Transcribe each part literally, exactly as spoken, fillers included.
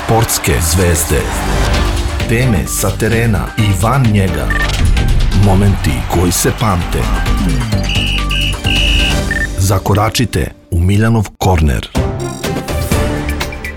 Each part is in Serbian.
Sportske zvezde. Teme sa terena i van njega. Momenti koji se pamte. Zakoračite u Miljanov korner.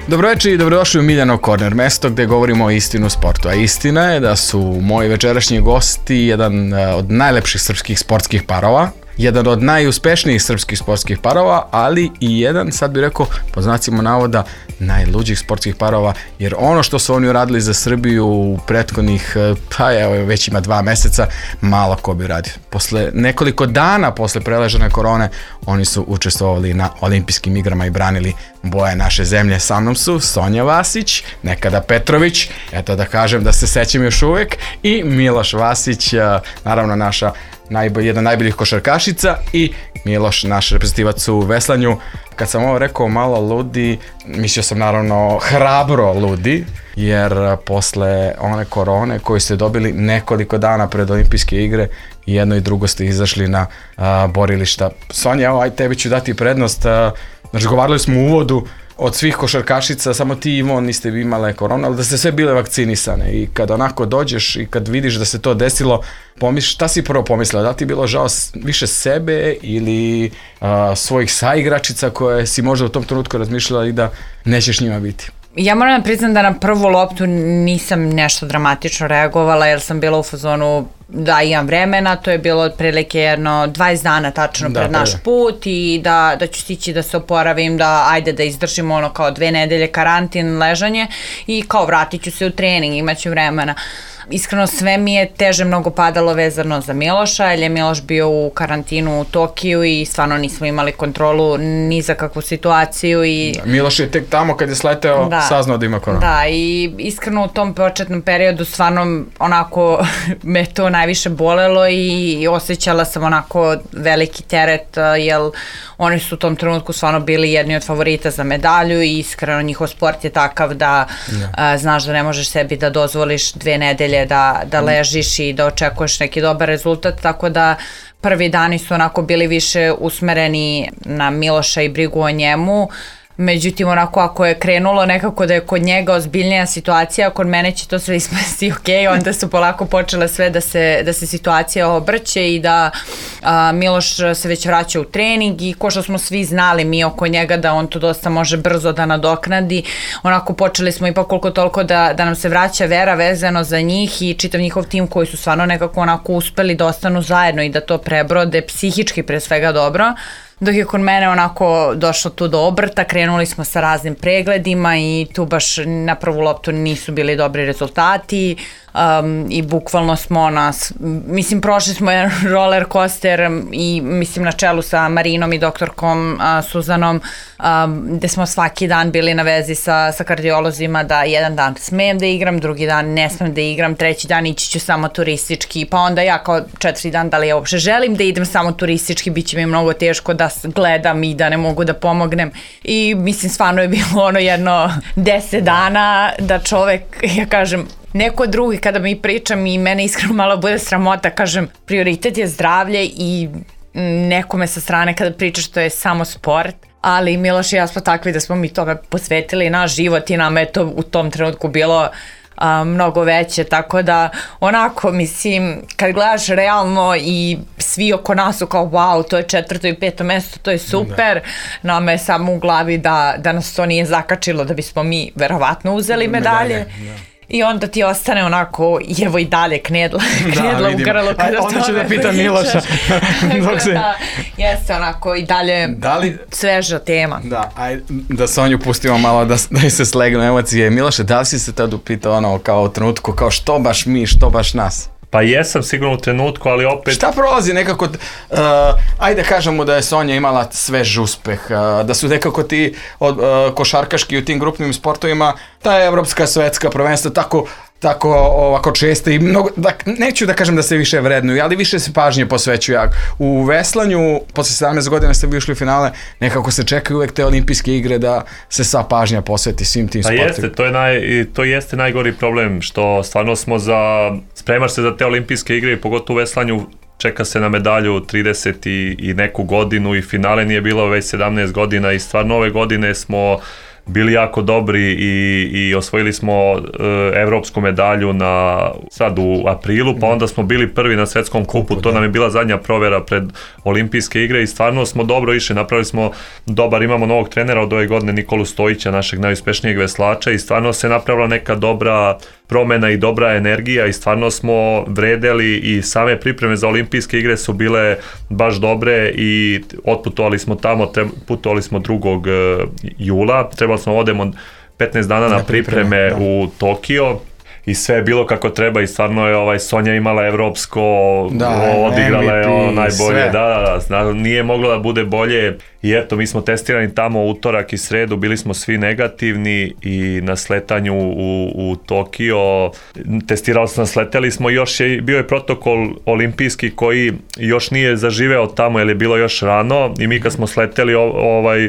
Dobroveče i dobrodošli u Miljanov korner, mesto gde govorimo o istinu sportu. A istina je da su moji večerašnji gosti jedan od najlepših srpskih sportskih parova, jedan od najuspešnijih srpskih sportskih parova, ali i jedan, sad bih rekao, po znacima navoda, najluđih sportskih parova, jer ono što su oni uradili za Srbiju u prethodnih, pa evo, već ima dva meseca, malo ko bi radio. Posle nekoliko dana posle preležene korone, oni su učestvovali na olimpijskim igrama i branili boje naše zemlje. Sa mnom su Sonja Vasić, nekada Petrović, eto da kažem da se sećam još uvek, i Miloš Vasić, naravno naša najbolj, jedna najboljih košarkašica, i Miloš, naš reprezentativac u veslanju. Kad sam ovo rekao malo ludi, mislio sam naravno hrabro ludi, jer posle one korone koju ste dobili nekoliko dana pred olimpijske igre, i jedno i drugo ste izašli na a, borilišta. Sonja, evo, aj tebi ću dati prednost. A, znači, govorili smo u uvodu, od svih košarkašica, samo ti i Ivon niste imale korona, ali da ste sve bile vakcinisane, i kad onako dođeš i kad vidiš da se to desilo, pomisliš, šta si prvo pomislila? Da ti je bilo žao više sebe ili a, svojih saigračica koje si možda u tom trenutku razmišljala i da nećeš njima biti? Ja moram da priznam da na prvu loptu nisam nešto dramatično reagovala, jer sam bila u fazonu da imam vremena, to je bilo otprilike jedno dvadeset dana tačno da, pred naš put, i da, da ću stići da se oporavim, da ajde da izdržimo ono kao dve nedelje karantin, ležanje, i kao vratit ću se u trening, imaću vremena. Iskreno, sve mi je teže mnogo padalo vezano za Miloša, jer je Miloš bio u karantinu u Tokiju i stvarno nismo imali kontrolu ni za kakvu situaciju. I Miloš je tek tamo kad je sleteo da, saznao da ima koronu. Da, i iskreno u tom početnom periodu stvarno onako me to najviše bolelo i osjećala sam onako veliki teret, jer oni su u tom trenutku stvarno bili jedni od favorita za medalju, i iskreno njihov sport je takav da a, znaš da ne možeš sebi da dozvoliš dve nedelje da, da ležiš i da očekuješ neki dobar rezultat, tako da prvi dani su onako bili više usmereni na Miloša i brigu o njemu. Međutim, onako ako je krenulo nekako da je kod njega ozbiljnija situacija, kod mene će to sve ispasti ok, onda su polako počele sve da se, da se situacija obrće i da a, Miloš se već vraća u trening, i ko što smo svi znali mi oko njega da on to dosta može brzo da nadoknadi, onako počeli smo ipak koliko toliko da, da nam se vraća vera vezano za njih i čitav njihov tim koji su stvarno nekako onako uspeli da ostanu zajedno i da to prebrode psihički pre svega dobro. Dok je kod mene onako došlo tu do obrta, krenuli smo sa raznim pregledima i tu baš na prvu loptu nisu bili dobri rezultati, um, i bukvalno smo nas, mislim prošli smo jedan roller coaster, i mislim na čelu sa Marinom i doktorkom uh, Suzanom, um, gde smo svaki dan bili na vezi sa, sa kardiolozima da jedan dan smem da igram, drugi dan ne smem da igram, treći dan ići ću samo turistički, pa onda ja kao četvrti dan da li ja uopšte želim da idem samo turistički, bit će mi mnogo teško da gledam i da ne mogu da pomognem, i mislim stvarno je bilo ono jedno deset dana da čovek, ja kažem, neko drugi kada mi pričam i mene iskreno malo bude sramota, kažem prioritet je zdravlje, i nekome sa strane kada pričaš to je samo sport, ali Miloš i ja smo takvi da smo mi tome posvetili naš život i nama je to u tom trenutku bilo a, mnogo veće, tako da onako mislim kad gledaš realno i svi oko nas su kao wow, to je četvrto i peto mesto, to je super, da. Nama je samo u glavi da, da nas to nije zakačilo da bismo mi verovatno uzeli medalje, medalje da. I onda ti ostane onako, evo i dalje knedla, knedla da, u grlu kada onda ću da pitam Miloša. Dok se... da, jeste onako i dalje da li... sveža tema. Da, aj, da Sonju pustimo malo da, da se slegnu emocije. Miloše, da li si se tad upitao ono kao u trenutku, kao što baš mi, što baš nas? Pa jesam sigurno u trenutku, ali opet... Šta prolazi nekako, uh, ajde kažemo da je Sonja imala svež uspeh, uh, da su nekako ti od, uh, košarkaški u tim grupnim sportovima, ta evropska, svetska prvenstva, tako, tako ovako često i mnogo, da, neću da kažem da se više vrednuju, ali više se pažnje posvećuju. U veslanju, posle sedamnaest godina ste vi ušli u finale, nekako se čekaju uvek te olimpijske igre da se sva pažnja posveti svim tim sportovima. Pa jeste, to, je naj, to jeste najgori problem, što stvarno smo za, spremaš se za te olimpijske igre, pogotovo u veslanju, čeka se na medalju trideset i, i neku godinu, i finale nije bilo već sedamnaest godina, i stvarno ove godine smo bili jako dobri i, i osvojili smo e, evropsku medalju na, sad u aprilu, pa onda smo bili prvi na svetskom kupu, to nam je bila zadnja provera pred olimpijske igre i stvarno smo dobro išli, napravili smo dobar, imamo novog trenera od ove godine Nikolu Stojića, našeg najuspešnijeg veslača i stvarno se napravila neka dobra promena i dobra energija i stvarno smo vredeli i same pripreme za olimpijske igre su bile baš dobre i otputovali smo tamo, putovali smo drugog jula, trebali smo odemo petnaest dana na pripreme da. u Tokio i sve je bilo kako treba i stvarno je ovaj Sonja imala evropsko, da, odigrala je ono najbolje, da, da, da, nije moglo da bude bolje i eto mi smo testirani tamo utorak i sredu, bili smo svi negativni i na sletanju u, u Tokio testirali smo, sleteli smo, još je bio je protokol olimpijski koji još nije zaživeo tamo jer je bilo još rano i mi kad smo sleteli ovaj,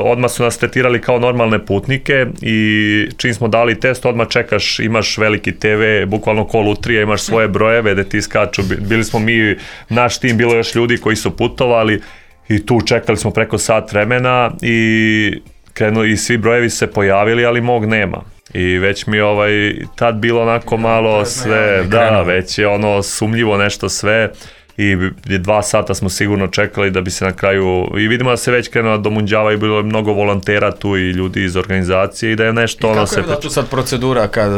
odmah su nas tretirali kao normalne putnike i čim smo dali test odmah čekaš, imaš veliki te ve, bukvalno ko lutrija, imaš svoje brojeve da ti skaču, bili smo mi, naš tim, bilo još ljudi koji su putovali i tu čekali smo preko sat vremena i krenuli i svi brojevi se pojavili, ali mog nema. I već mi ovaj tad bilo onako malo sve, da, već je ono sumnjivo nešto sve i dva sata smo sigurno čekali da bi se na kraju, i vidimo da se već krenula do munđava i bilo je mnogo volontera tu i ljudi iz organizacije i da je nešto ono se... I kako je da tu sad procedura kad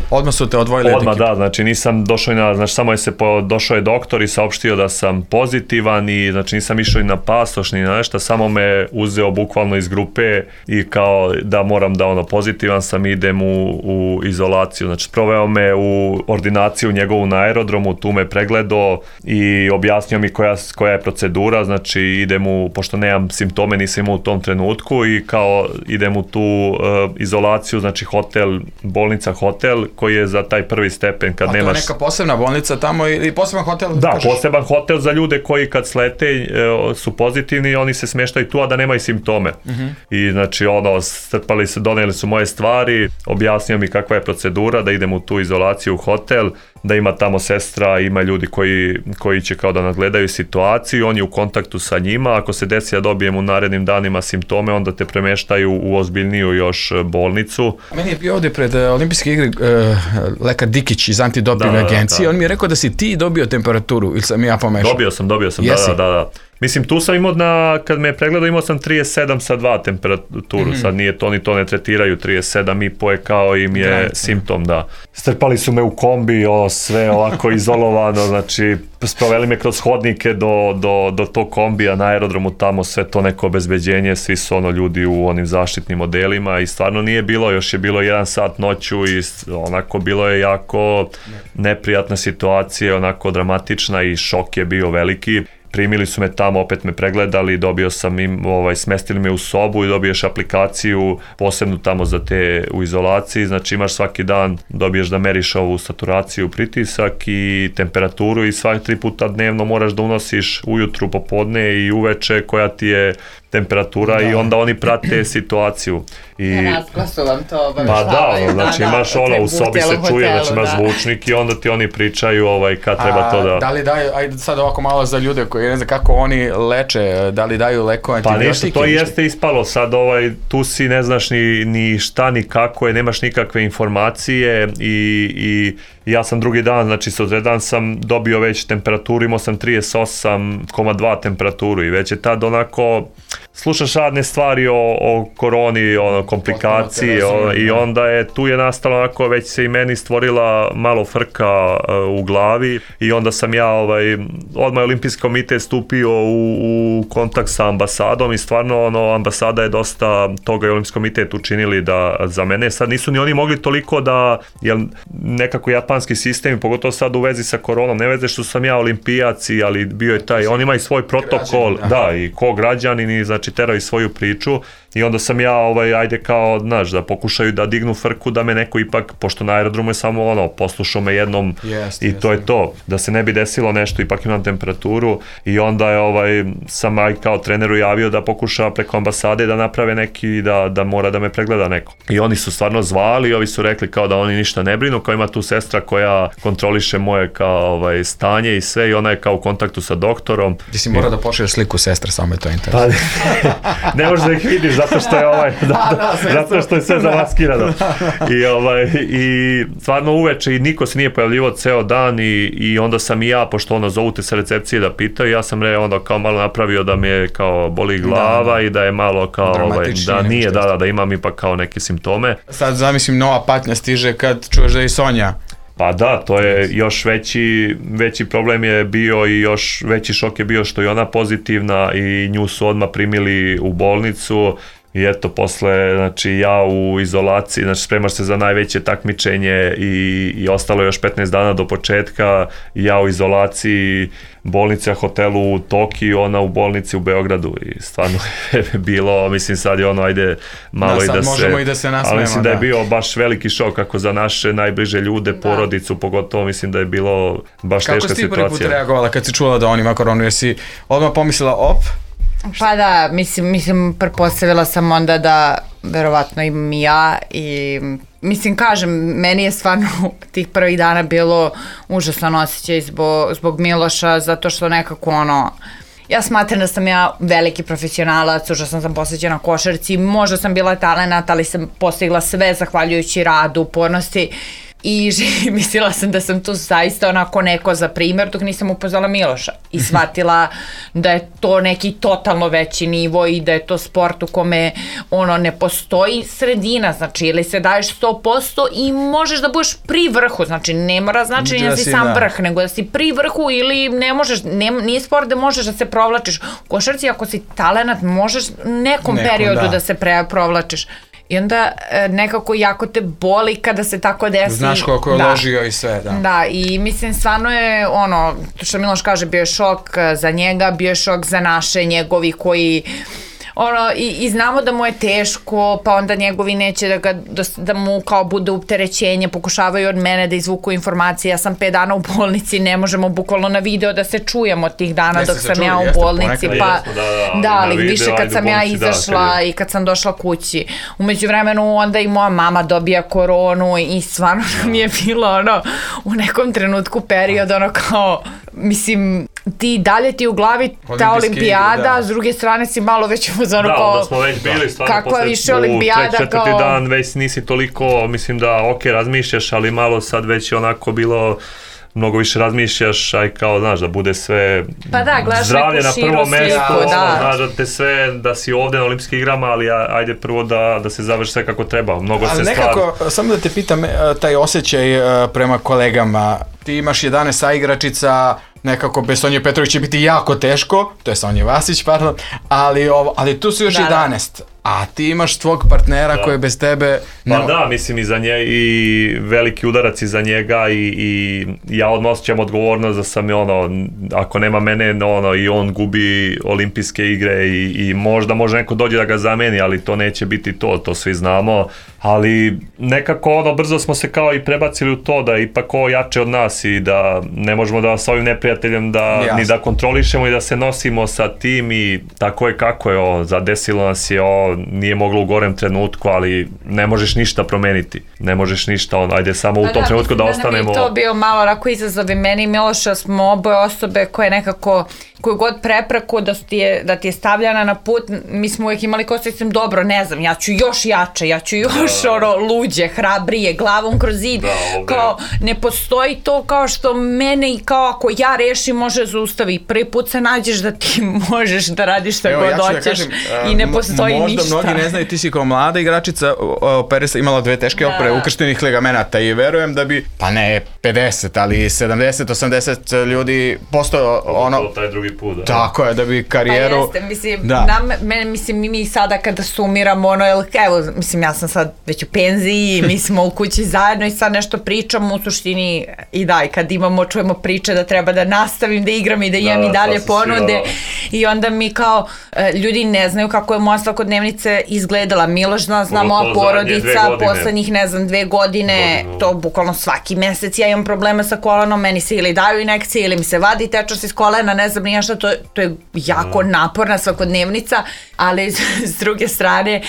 odmah su te odvojili? Odmah, da, znači nisam došao i na, znači samo je se po, došao je doktor i saopštio da sam pozitivan i znači nisam išao i na pasoš ni na nešto, samo me uzeo bukvalno iz grupe i kao da moram da ono pozitivan sam, idem u, u izolaciju, znači proveo me u ordinaciju njegovu na aerodromu, tu me pregledao i objasnio mi koja, koja je procedura, znači idem u, pošto nemam simptome, nisam imao u tom trenutku i kao idem u tu uh, izolaciju, znači hotel, bolnica hotel koji je za taj prvi stepen kad A nemaš... A to je neka posebna bolnica tamo ili poseban hotel? Da, kažeš? Poseban hotel za ljude koji kad slete uh, su pozitivni, oni se smještaju tu, a da nemaju simptome. Uh-huh. I znači ono, strpali se, doneli su moje stvari, objasnio mi kakva je procedura, da idem u tu izolaciju u hotel, da ima tamo sestra, ima ljudi koji, koji će kao da nadgledaju situaciju, oni u kontaktu sa njima, ako se desi da dobijem u narednim danima simptome, onda te premeštaju u ozbiljniju još bolnicu. Meni je bio ovdje pred uh, olimpijske igre uh, lekar Dikić iz antidoping da, agencije, da. On mi je rekao da si ti dobio temperaturu ili sam ja pomešao? Dobio sam, dobio sam, Jesi? da, da, da. Mislim, tu sam imao, na, kad me je pregledao, imao sam trideset sedam sa dva temperaturu, mm-hmm. sad nije to, ni to ne tretiraju, trideset sedam i po je kao im je Granice. simptom, da. Strpali su me u kombi, o, sve ovako izolovano, znači, sproveli me kroz hodnike do, do, do tog kombija na aerodromu, tamo sve to neko obezbeđenje, svi su ono ljudi u onim zaštitnim modelima i stvarno nije bilo, još je bilo jedan sat noću i onako bilo je jako neprijatna situacija, onako dramatična i šok je bio veliki. Primili su me tamo, opet me pregledali, dobio sam im, ovaj, smestili me u sobu i dobiješ aplikaciju posebnu tamo za te u izolaciji, znači imaš svaki dan, dobiješ da meriš ovu saturaciju, pritisak i temperaturu i svaki tri puta dnevno moraš da unosiš ujutru, popodne i uveče koja ti je temperatura da. I onda oni prate situaciju. I na razglasu vam to Pa da, ono, znači da, imaš da, ono, u sobi se čuje, znači imaš da. zvučnik i onda ti oni pričaju ovaj, kad treba A, to da... Da li daju, ajde sad ovako malo za ljude koji ne znam kako oni leče, da li daju leko antibiotike? Pa ništa, to jeste ispalo, sad ovaj, tu si ne znaš ni, ni šta, ni kako je, nemaš nikakve informacije i, i ja sam drugi dan, znači sutradan sam dobio već temperaturu, imao sam trideset osam zarez dva temperaturu i već je tad onako, slušaš radne stvari o, o koroni, ono, komplikacije o, i onda je, tu je nastalo onako, već se i meni stvorila malo frka uh, u glavi i onda sam ja, ovaj, odmah Olimpijski komitet stupio u, u kontakt sa ambasadom i stvarno, ono, ambasada je dosta toga i Olimpijski komitet učinili da za mene, sad nisu ni oni mogli toliko da, jer nekako japanski sistem, pogotovo sad u vezi sa koronom, ne veze što sam ja olimpijac, ali bio je taj, on ima i svoj protokol, građanin, da, i ko građanin i znači terao i svoju priču i onda sam ja, ovaj, ajde kao, znaš, da pokušaju da dignu frku, da me neko ipak, pošto na aerodromu je samo ono, poslušao me jednom yes, i yes, to yes. je to, da se ne bi desilo nešto, ipak imam temperaturu i onda je, ovaj, sam aj kao treneru javio da pokuša preko ambasade da naprave neki, da, da mora da me pregleda neko. I oni su stvarno zvali, ovi su rekli kao da oni ništa ne brinu, kao ima tu sestra koja kontroliše moje kao, ovaj, stanje i sve i ona je kao u kontaktu sa doktorom. Ti si mora I... da pošalješ sliku sestre, samo je to interesno. Pa, ne možeš da ih vidiš, zato zato što je ovaj, zato, zato što je sve zamaskirano. I, ovaj, i stvarno uveče i niko se nije pojavljivo ceo dan i, i onda sam i ja, pošto ono zovu te sa recepcije da pitaju, ja sam re onda kao malo napravio da mi je kao boli glava da, i da je malo kao ovaj, da nije, da, da, da imam ipak kao neke simptome. Sad zamislim nova patnja stiže kad čuješ da je i Sonja. Pa da, to je još veći, veći problem je bio i još veći šok je bio što je ona pozitivna i nju su odmah primili u bolnicu i eto posle, znači ja u izolaciji, znači spremaš se za najveće takmičenje i, i ostalo još petnaest dana do početka, ja u izolaciji, bolnica, hotelu u Tokiju, ona u bolnici u Beogradu i stvarno je bilo, mislim sad je ono, ajde malo da, i da se... možemo i da se nasmemo, ali mislim da. da je bio baš veliki šok kako za naše najbliže ljude, da. porodicu, pogotovo mislim da je bilo baš kako teška situacija. Kako si prvi put reagovala kad si čula da on ima koronu, jesi odmah pomislila op? Pa da, mislim, mislim, pretpostavila sam onda da verovatno imam i ja i mislim, kažem, meni je stvarno tih prvih dana bilo užasan osjećaj zbog, zbog Miloša, zato što nekako ono, ja smatram da sam ja veliki profesionalac, užasno sam posvećena košarci, možda sam bila talenat, ali sam postigla sve zahvaljujući radu, upornosti. I mislila sam da sam tu zaista onako neko za primjer dok nisam upoznala Miloša i shvatila da je to neki totalno veći nivo i da je to sport u kome ono ne postoji sredina, znači ili se daješ sto posto i možeš da budeš pri vrhu, znači ne mora znači da, da si sam da. vrh, nego da si pri vrhu ili ne možeš, ne, nije sport da možeš da se provlačiš. U košarci ako si talenat možeš nekom, nekom periodu da, da se pre, provlačiš. I onda nekako jako te boli kada se tako desi. Znaš koliko je da. ložio i sve, da. Da, i mislim stvarno je ono, što Miloš kaže, bio je šok za njega, bio je šok za naše, njegovi koji... Ono, i, i znamo da mu je teško, pa onda njegovi neće da, ga, da mu kao bude upterećenje, pokušavaju od mene da izvuku informacije, ja sam pet dana u bolnici, ne možemo bukvalno na video da se čujemo tih dana jeste dok sam čuli, ja u bolnici, pa jesmo, da, da, da, ali video, više kad sam bolnici, ja izašla da, i kad sam došla kući. U međuvremenu onda i moja mama dobija koronu i stvarno mi je bilo ono, u nekom trenutku period, ono kao, mislim, ti dalje ti u glavi ta olimpijada, da. S druge strane si malo već uzmano da, kao... Da, onda smo već bili stvarno kakva posle više olimpijada, u treći, četvrti kao... dan već nisi toliko, mislim da ok, razmišljaš, ali malo sad već je onako bilo... mnogo više razmišljaš, aj kao, znaš, da bude sve pa da, zdravlje na prvo mesto, da. Znaš, da te sve, da si ovde na olimpijskim igrama, ali ajde prvo da, da se završi sve kako treba, mnogo ali se stvari. Ali nekako, samo da te pitam, taj osjećaj prema kolegama, ti imaš jedanaest saigračica, nekako bez Sonje Petrović će biti jako teško, to je Sonja Vasić, pardon, ali, ovo, ali tu su još da, jedanaest. A ti imaš tvog partnera da. Koji je bez tebe... Pa da, mislim i za nje i veliki udarac iza njega i, i ja odmah osjećam odgovornost da sam ono, ako nema mene, ono, i on gubi olimpijske igre i, i možda može neko dođe da ga zameni, ali to neće biti to, to svi znamo. Ali nekako ono, brzo smo se kao i prebacili u to da je ipak ovo jače od nas i da ne možemo da s ovim neprijateljem da, ni da kontrolišemo i da se nosimo sa tim i tako je kako je ovo, zadesilo nas je ovo, nije moglo u gorem trenutku, ali ne možeš ništa promeniti, ne možeš ništa, on, ajde samo u tom da, trenutku da, da ostanemo. Da, to bio malo onako izazov i meni i Miloša, smo oboje osobe koje nekako, koju god prepreku da ti je, da ti je stavljana na put, mi smo uvijek imali kao sistem, dobro, ne znam, ja ću još jače, ja ću još da, ono, luđe, hrabrije, glavom kroz zid, da, kao, ne postoji to kao što mene i kao ako ja rešim može zaustavi, prvi put se nađeš da ti možeš da radiš šta evo, god ja hoćeš da kažem, i ne postoji možda ništa. Možda mnogi ne znaju, ti si kao mlada igračica, Peresa imala dve teške da. opere ukrštenih ligamenata i verujem da bi, pa ne pedeset, ali sedamdeset osamdeset ljudi postoje ono... taj drugi put, da. Tako je, da bi karijeru... Pa jeste, mislim, da. nam, me, mislim, mi sada kada sumiramo, ono, evo, mislim, ja sam sad već u penziji, mi smo u kući zajedno i sad nešto pričamo, u suštini i da, i kad imamo, čujemo priče da treba da nastavim da igram i da imam da, i dalje ponude i onda mi kao, ljudi ne znaju kako je moja svakodnevnica izgledala, Miloš zna, zna moja porodica, poslednjih, ne znam, dve godine, Godinu. to bukvalno svaki mesec ja imam problema sa kolenom, meni se ili daju injekcije ili mi se vadi tečnost iz kolena, ne znam nije šta, to, to je jako mm. naporna svakodnevnica, ali s druge strane,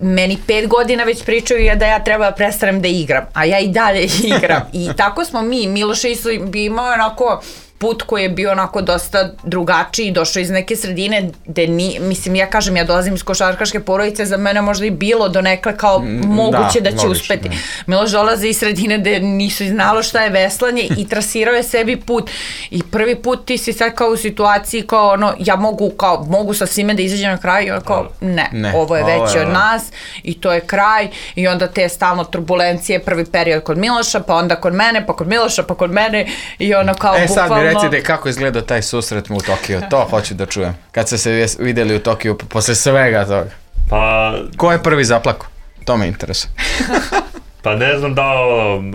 meni pet godina već pričaju da ja treba da prestanem da igram, a ja i dalje igram. I tako smo mi, Miloš isto bi imao onako put koji je bio onako dosta drugačiji, došao iz neke sredine gde ni, mislim, ja kažem, ja dolazim iz košarkaške porodice, za mene možda i bilo donekle kao moguće da, da će moguće, uspeti. Da. Miloš dolazi iz sredine gde nisu znalo šta je veslanje i trasirao je sebi put. I prvi put ti si sad kao u situaciji kao ono, ja mogu, kao, mogu sa svime da izađem na kraj i on kao, ne, ne, ovo je veće od nas i to je kraj i onda te stalno turbulencije, prvi period kod Miloša, pa onda kod mene, pa kod Miloša, pa kod mene i ono kao e, bukvalno... E sad mi recite kako izgleda taj susret mu u Tokiju, to hoću da čujem. Kad ste se videli u Tokiju posle svega toga. Pa... Ko je prvi zaplako? To me interesuje. Pa ne znam da,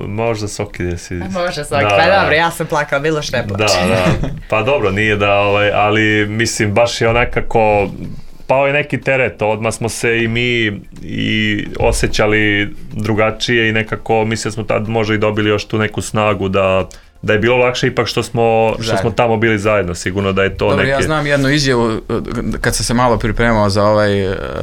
možda Soki gdje si... Možda Soki, da, pa dobro, ja sam plakala, bilo što ne plače. Da, da, pa dobro, nije da, ovaj, ali mislim, baš je onakako... Pao je neki teret, odmah smo se i mi i osjećali drugačije i nekako, mislim smo tad možda i dobili još tu neku snagu da da je bilo lakše ipak što smo, što smo tamo bili zajedno, sigurno da je to Dobro, neke... ja znam jednu izjavu, kad sam se malo pripremao za ovaj,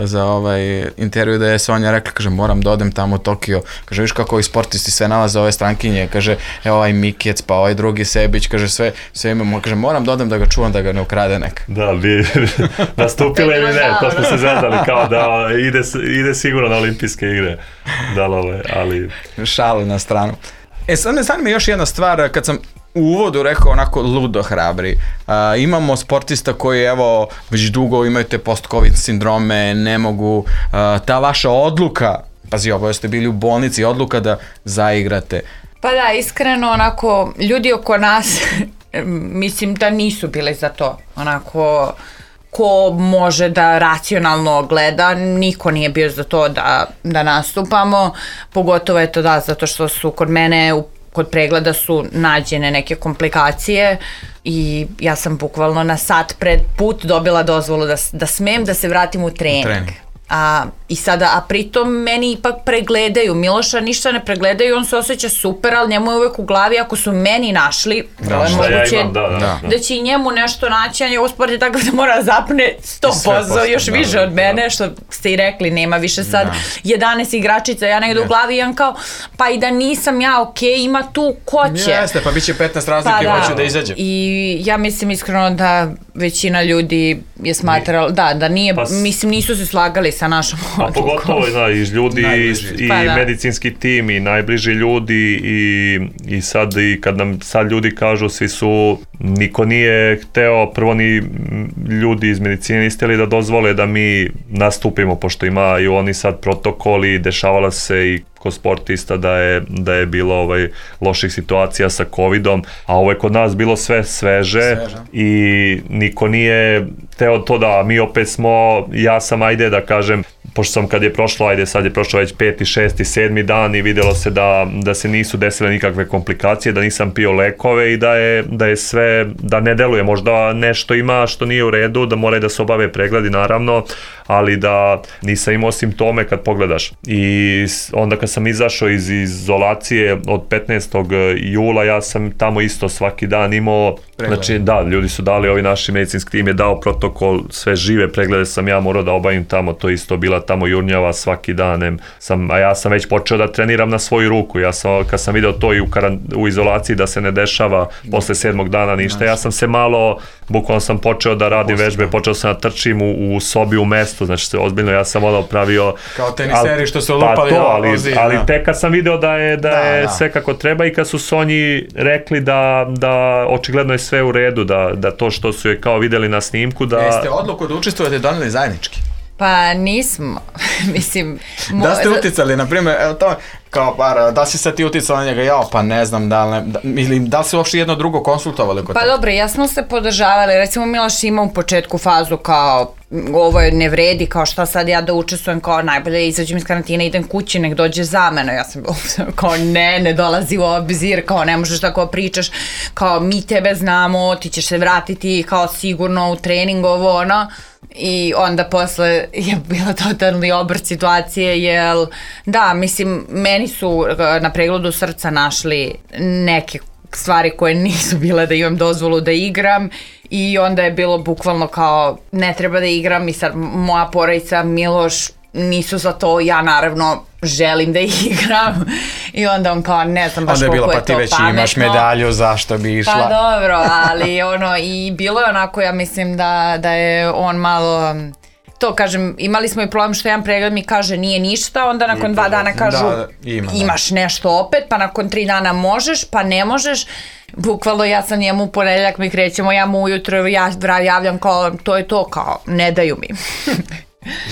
za ovaj intervju, da je Sonja rekla, kaže, moram da odem tamo u Tokio, kaže, viš kako ovi sportisti sve nalaze ove strankinje, kaže, evo ovaj Mikec, pa ovaj drugi Sebić, kaže, sve, sve imamo, kaže, moram da odem da ga čuvam, da ga ne ukrade neka. Da, bi nastupile ili ne, to smo se zezali, kao da ide, ide sigurno na olimpijske igre, da, ali... Šalu na stranu. E sad me zanima još jedna stvar, kad sam u uvodu rekao onako ludo hrabri, a, imamo sportista koji evo već dugo imaju te post-covid sindrome, ne mogu, a, ta vaša odluka, pazi ovo, ste bili u bolnici, odluka da zaigrate. Pa da, iskreno onako, ljudi oko nas, mislim da nisu bili za to, onako... ko može da racionalno gleda, niko nije bio za to da, da nastupamo, pogotovo je to da, zato što su kod mene, u, kod pregleda su nađene neke komplikacije i ja sam bukvalno na sat pred put dobila dozvolu da, da smem da se vratim u trening. trening. A, i sada, a pritom meni ipak pregledaju, Miloša ništa ne pregledaju, on se osjeća super, ali njemu je uvek u glavi, ako su meni našli, da, je moguće, ja imam, da, da, da. da će i njemu nešto naći, a njegov sport je tako da mora zapne sto posto, još da, više od mene, da. Što ste i rekli, nema više sad da. jedanaest igračica, ja negdje yes. u glavi imam kao, pa i da nisam ja, ok, ima tu ko će. Jeste, pa bit će petnaest razlike pa, i hoću da izađe. I ja mislim iskreno da većina ljudi je smatrala, da, da nije, pa, mislim nisu se slagali sa našom odlukom. A pogotovo da, i ljudi i, i pa, da. medicinski tim i najbliži ljudi i, i sad i kad nam sad ljudi kažu svi su, niko nije hteo, prvo ni ljudi iz medicine niste htjeli da dozvole da mi nastupimo, pošto imaju oni sad protokoli, dešavala se i kod sportista da je, da je bilo ovaj, loših situacija sa covidom, a ovo je kod nas bilo sve sveže, sveže. I niko nije teo to da mi opet smo, ja sam ajde da kažem, pošto sam kad je prošlo, ajde sad je prošlo već peti, šesti, sedmi dan i vidjelo se da, da se nisu desile nikakve komplikacije, da nisam pio lekove i da je, da je sve, da ne deluje, možda nešto ima što nije u redu, da moraju da se obave pregledi naravno, ali da nisam imao simptome kad pogledaš. I onda kad sam izašao iz izolacije od petnaestog jula, ja sam tamo isto svaki dan imao, pregled. Znači da, ljudi su dali, ovi naši medicinski tim je dao protokol, sve žive preglede sam ja morao da obavim tamo, to isto bila tamo jurnjava svaki dan, sam, a ja sam već počeo da treniram na svoju ruku, ja sam, kad sam video to i u, karan, u izolaciji da se ne dešava posle sedmog dana ništa, ja sam se malo, bukvalno sam počeo da radim vežbe, počeo sam da trčim u, u sobi u mestu, znači se ozbiljno, ja sam ono pravio... Kao teniseri što su lupali pa to, ali, ali, ali tek kad sam video da je, da, da je da. sve kako treba i kad su Sonji rekli da, da očigledno je sve u redu, da, da to što su je kao videli na snimku, da... Jeste odluku da učestvujete doneli zajednički? Pa nismo, mislim... Mo... Da ste uticali, na primjer, evo to, kao par, da si sad ti uticala na njega, ja, pa ne znam, da li, ne, da, ili da li se uopšte jedno drugo konsultovali kod Pa dobro, ja smo se podržavali, recimo Miloš ima u početku fazu kao, ovo je ne vredi, kao šta sad ja da učestvujem, kao najbolje izađem iz karantina, idem kući, nek dođe za mene, ja sam kao ne, ne dolazi u obzir, kao ne možeš tako pričaš, kao mi tebe znamo, ti ćeš se vratiti, kao sigurno u trening, ovo, ono, i onda posle je bila totalni obrt situacije, jel, da, mislim, meni su na pregledu srca našli neke stvari koje nisu bile da imam dozvolu da igram i onda je bilo bukvalno kao ne treba da igram i sad moja porodica, Miloš nisu za to, ja naravno želim da igram I onda on kao, ne znam baš onda je bilo, koliko pa ti je to već pametno. imaš medalju, zašto bi išla? Pa dobro, ali ono, i bilo je onako, ja mislim da, da je on malo... To kažem, imali smo i problem što jedan pregled mi kaže nije ništa, onda nakon dva dana kažu da, ima, imaš da. nešto opet, pa nakon tri dana možeš, pa ne možeš. Bukvalno ja sam njemu u ponedeljak mi krećemo, ja mu ujutro ja javljam kao to je to, kao ne daju mi.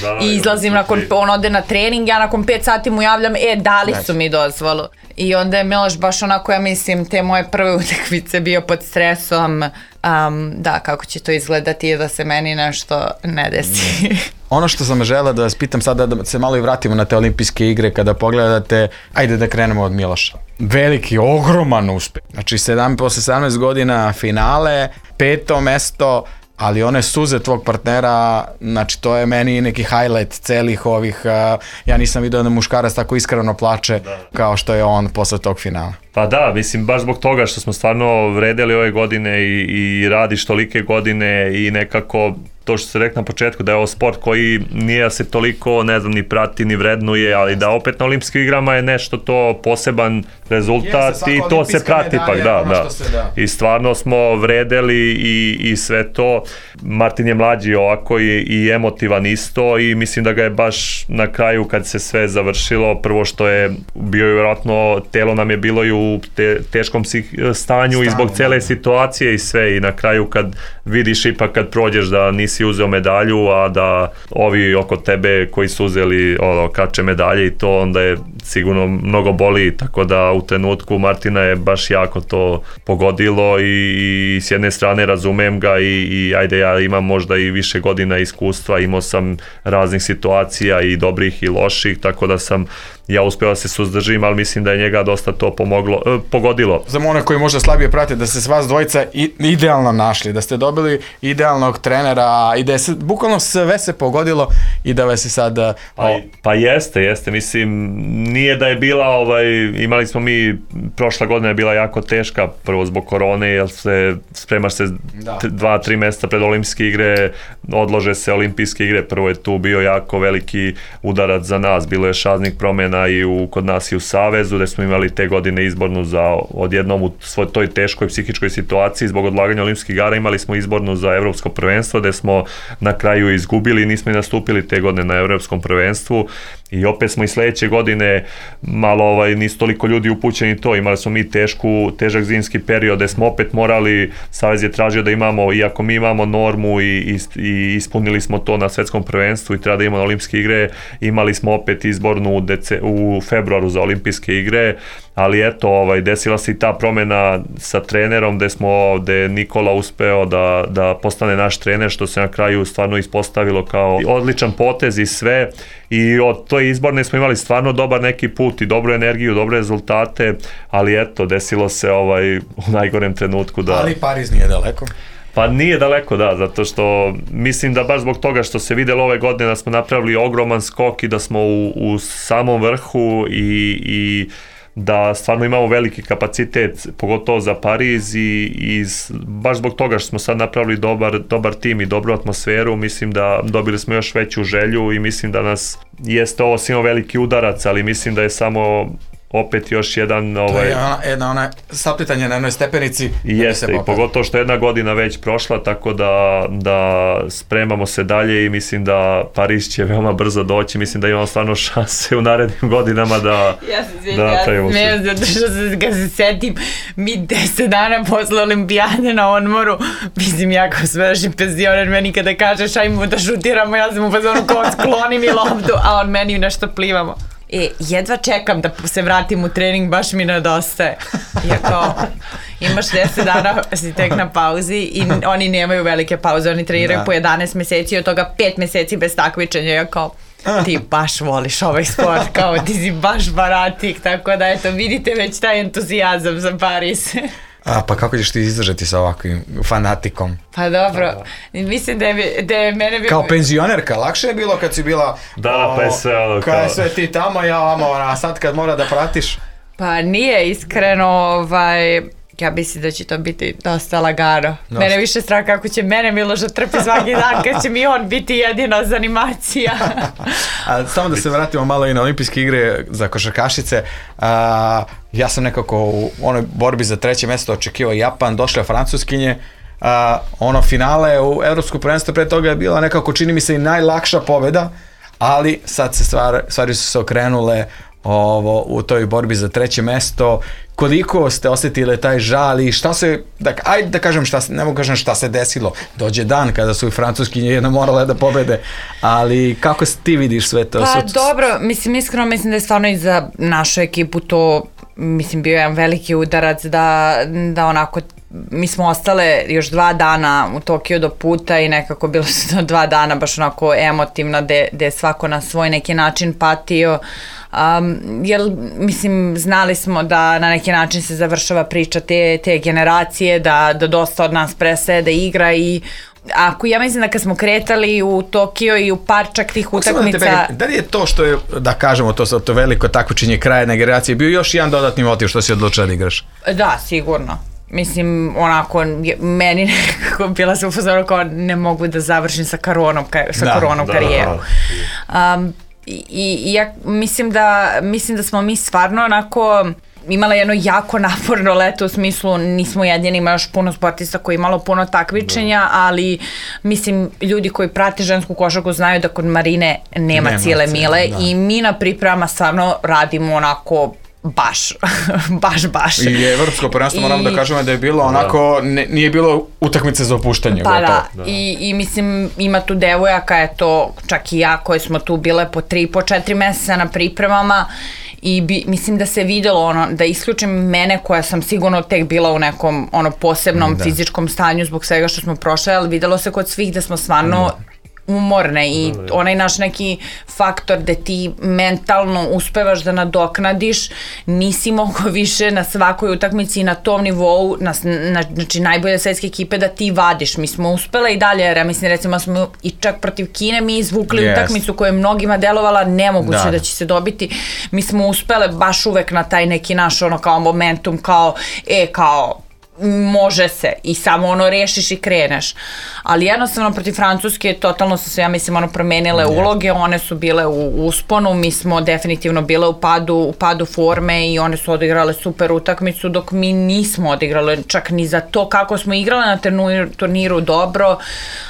Da, i izlazim nakon, on ode na trening, ja nakon pet sati mu javljam, e, dali su mi dozvolu. I onda je Miloš baš onako, ja mislim, te moje prve utakmice bio pod stresom, um, da, kako će to izgledati da se meni nešto ne desi. Ono što sam želeo da vas pitam sada, da se malo i vratimo na te olimpijske igre, kada pogledate, ajde da krenemo od Miloša. Veliki, ogroman uspeh. Znači, sedam, posle sedamnaest godina finale, peto mesto, ali one suze tvog partnera, znači to je meni neki highlight celih ovih, uh, ja nisam vidio da muškarac tako iskreno plače da. Kao što je on posle tog finala. Pa da, mislim, baš zbog toga što smo stvarno vredeli ove godine i, i radiš tolike godine i nekako to što se rekao na početku, da je ovo sport koji nije se toliko, ne znam, ni prati, ni vrednuje, ali da opet na olimpijskim igrama je nešto to poseban rezultat Jeste, i to se prati ipak, da, da. Se, da. I stvarno smo vredeli i, i sve to. Martin je mlađi ovako i, i emotivan isto i mislim da ga je baš na kraju kad se sve završilo, prvo što je bio je vjerojatno, telo nam je bilo i u te, teškom stanju Stanju, i zbog cele situacije i sve i na kraju kad vidiš ipak kad prođeš da nisi uzeo medalju, a da ovi oko tebe koji su uzeli ono, kače medalje i to onda je sigurno mnogo boli, tako da u trenutku Martina je baš jako to pogodilo i, i s jedne strane razumem ga i, i ajde ja imam možda i više godina iskustva, imao sam raznih situacija i dobrih i loših, tako da sam ja uspeo da se suzdržim, ali mislim da je njega dosta to pomoglo, eh, pogodilo. Za one koji možda slabije prate, da ste s vas dvojica i, idealno našli, da ste dobili idealnog trenera i da je se, bukvalno sve se pogodilo i da vas je sad... O... Pa, pa jeste, jeste, mislim, nije da je bila, ovaj, imali smo mi, prošla godina je bila jako teška, prvo zbog korone, jer se spremaš se da. dva, tri mjeseca pred olimpijske igre, odlože se olimpijske igre, prvo je tu bio jako veliki udarac za nas, bilo je šaznih promjena i u, kod nas i u Savezu, gde smo imali te godine izbornu za odjednom u svoj toj teškoj psihičkoj situaciji zbog odlaganja olimpijskih igara, imali smo izbornu za evropsko prvenstvo, gde smo na kraju izgubili i nismo i nastupili te godine na evropskom prvenstvu i opet smo i sledeće godine malo ovaj, nisu toliko ljudi upućeni to, imali smo mi tešku, težak zimski period gde smo opet morali, Savez je tražio da imamo, iako mi imamo normu i, i, i ispunili smo to na svetskom prvenstvu i treba da imamo na olimpijske igre, imali smo opet izbornu u, dece, u februaru za olimpijske igre, ali eto, ovaj, desila se i ta promjena sa trenerom gde smo, gde je Nikola uspeo da, da postane naš trener, što se na kraju stvarno ispostavilo kao odličan potez i sve i od toj izborne smo imali stvarno dobar neki put i dobru energiju, dobre rezultate, ali eto, desilo se ovaj, u najgorem trenutku da... Ali Pariz nije daleko. Pa nije daleko, da, zato što mislim da baš zbog toga što se videlo ove godine da smo napravili ogroman skok i da smo u, u samom vrhu i, i da stvarno imamo veliki kapacitet, pogotovo za Pariz i, i baš zbog toga što smo sad napravili dobar, dobar tim i dobru atmosferu, mislim da dobili smo još veću želju i mislim da nas jeste ovo svima veliki udarac, ali mislim da je samo opet još jedan... Ovaj, to je ona, jedna ona saplitanje na jednoj stepenici. I jeste, i pogotovo što je jedna godina već prošla, tako da, da spremamo se dalje i mislim da Pariz će veoma brzo doći, mislim da imamo stvarno šanse u narednim godinama da... Ja se sviđa, ja se smijem, zato što se, kad se setim, mi deset dana posle olimpijade na odmoru, mislim, ja kao smešni penzioner, meni kada kažeš ajmo da šutiramo, ja sam u fazonu kao skloni mi loptu, a on meni nešto plivamo. E, jedva čekam da se vratim u trening, baš mi nedostaje. Ja kao, imaš deset dana, si tek na pauzi i oni nemaju velike pauze, oni treniraju da. po jedanaest meseci, od toga pet meseci bez takmičenja. Ja kao, ti baš voliš ovaj sport, kao ti si baš baratik, tako da eto, vidite već taj entuzijazam za Pariz. A, pa kako ćeš ti izdržati sa ovakvim fanatikom? Pa dobro, mislim da je, da je mene... Kao penzionerka, lakše je bilo kad si bila... Da, o, pa je sve... Ono, kad je sve ti tamo, ja vamo, a sad kad mora da pratiš... Pa nije iskreno, ovaj... Ja mislim da će to biti dosta lagano. Dosta. Mene više strah kako će mene Miloš trpi svaki dan kad će mi on biti jedina zanimacija. A, samo da se vratimo malo i na olimpijske igre za košarkašice. A, ja sam nekako u onoj borbi za treće mjesto očekivao Japan, došle Francuskinje. A, ono finale u Evropskom prvenstvu pre toga je bila nekako, čini mi se, i najlakša pobjeda, ali sad se stvar, stvari su se okrenule ovo, u toj borbi za treće mesto. Koliko ste osjetili taj žal i šta se, da, ajde da kažem šta se, ne mogu kažem šta se desilo, dođe dan kada su i Francuskinje jedno morale da pobede, ali kako ti vidiš sve to? Pa Su... dobro, mislim, iskreno mislim da je stvarno i za našu ekipu to, mislim, bio jedan veliki udarac da, da onako, mi smo ostale još dva dana u Tokiju do puta i nekako bilo su to dva dana baš onako emotivno gde je svako na svoj neki način patio. Um, jer mislim znali smo da na neki način se završava priča te, te generacije, da, da dosta od nas prestaje da igra i ako ja mislim da kad smo kretali u Tokio i u par čak tih utakmica... Da, da li je to što je, da kažemo to, to veliko takmičenje kraja jedne generacije bio još jedan dodatni motiv što si odlučila da igraš? Da, sigurno. Mislim, onako, meni nekako bila se upozorio kao ne mogu da završim sa koronom, sa da, koronom da, karijeru. Da. Um, i, i ja mislim da, mislim da smo mi stvarno onako imala jedno jako naporno leto u smislu nismo jedini, ima još puno sportista koji imalo puno takmičenja, ali mislim ljudi koji prate žensku košarku znaju da kod Marine nema, nema cijele mile da. I mi na pripremama stvarno radimo onako baš, baš, baš. I evropsko prvenstvo moramo da kažemo da je bilo onako, ne, nije bilo utakmice za opuštanje. Pa da, da. I, i mislim ima tu devojaka, je to čak i ja koje smo tu bile po tri, po četiri meseca na pripremama i bi, mislim da se videlo ono, da isključim mene koja sam sigurno tek bila u nekom ono posebnom da. Fizičkom stanju zbog svega što smo prošle, ali videlo se kod svih da smo stvarno da. Umorne i onaj naš neki faktor da ti mentalno uspevaš da nadoknadiš, nisi mogao više na svakoj utakmici na tom nivou, na, na, znači najbolje svetske ekipe da ti vadiš. Mi smo uspele i dalje, jer ja mislim recimo smo i čak protiv Kine mi izvukli yes. utakmicu koja je mnogima delovala nemoguće da. Da će se dobiti. Mi smo uspele baš uvek na taj neki naš ono kao momentum, kao e kao može se i samo ono rešiš i kreneš. Ali jednostavno protiv Francuske totalno su se, ja mislim, ono promenile yeah. uloge, one su bile u usponu, mi smo definitivno bile u padu, u padu forme i one su odigrale super utakmicu dok mi nismo odigrale čak ni za to kako smo igrale na turniru, turniru dobro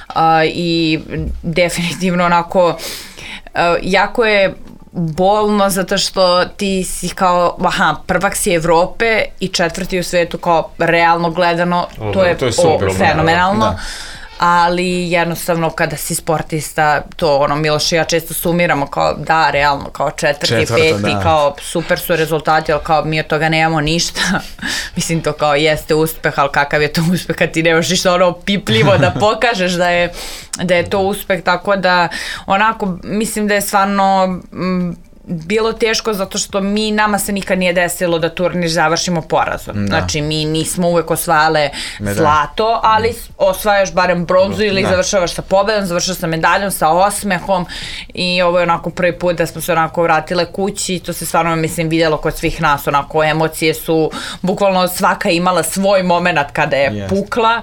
uh, i definitivno onako uh, jako je bolno zato što ti si kao, aha, prvak si Evrope i četvrti u svetu kao realno gledano, oh, to je, to je super, o, fenomenalno. Da. Ali jednostavno kada si sportista, to ono Miloš i ja često sumiramo kao da, realno, kao četvrti, Četvrto, peti, da. Kao super su rezultati, ali kao mi od toga nemamo ništa. Mislim to kao jeste uspeh, ali kakav je to uspeh kad ti nemaš ništa ono pipljivo da pokažeš da je, da je to uspeh, tako da onako mislim da je stvarno m, bilo teško zato što mi, nama se nikad nije desilo da turnir završimo porazom. Da. Znači mi nismo uvek osvajale Medalj. Zlato, ali osvajaš barem bronzu ili da. Završavaš sa pobedom, završavaš sa medaljom, sa osmehom i ovo je onako prvi put da smo se onako vratile kući, to se stvarno mislim vidjelo kod svih nas, onako emocije su, bukvalno svaka imala svoj moment kada je yes. pukla.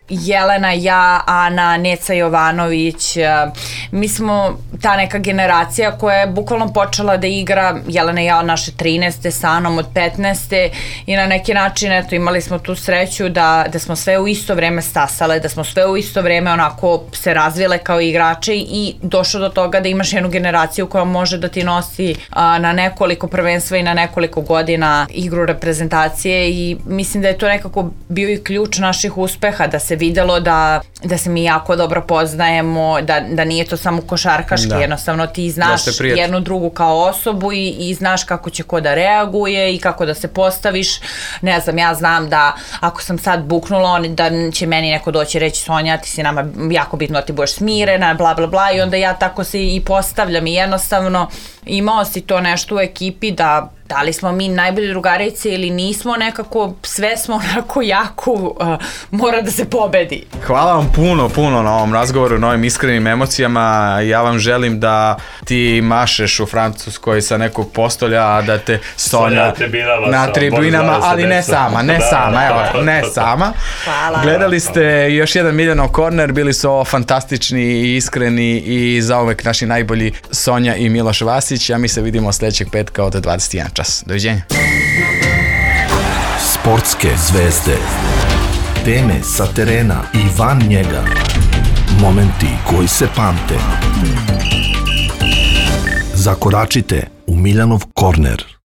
Jelena, ja, Ana, Neca Jovanović, mi smo ta neka generacija koja je bukvalno počela da igra, Jelena i ja od naše trinaeste, sa Anom od petnaeste i na neki način eto, imali smo tu sreću da, da smo sve u isto vreme stasale, da smo sve u isto vreme onako se razvile kao igrače i došlo do toga da imaš jednu generaciju koja može da ti nosi a, na nekoliko prvenstva i na nekoliko godina igru reprezentacije i mislim da je to nekako bio i ključ naših uspeha, da se videlo da, da se mi jako dobro poznajemo, da, da nije to samo košarkaški, da. Jednostavno ti znaš jednu drugu kao osobu i, i znaš kako će ko da reaguje i kako da se postaviš. Ne znam, ja znam da ako sam sad buknula, da će meni neko doći reći Sonja, ti si nama jako bitno da ti budeš smirena, bla bla bla i onda ja tako se i postavljam i jednostavno imao si to nešto u ekipi da Da li smo mi najbolje drugarice ili nismo, nekako sve smo onako jako, uh, mora da se pobedi. Hvala vam puno, puno na ovom razgovoru, na ovim iskrenim emocijama. Ja vam želim da ti mašeš u Francuskoj sa nekog postolja, a da te Sonja na tribinama, ali ne sama, ne sama, evo, ne sama. Hvala. Gledali ste još jedan Miljanov korner, bili su ovo fantastični i iskreni i zauvek naši najbolji Sonja i Miloš Vasić, a mi se vidimo sljedećeg petka od dvadeset jedan čas. Doviđenja. Sportske zvezde, teme sa terena i van njega, momenti koji se pamte. Zakoračite u Miljanov korner.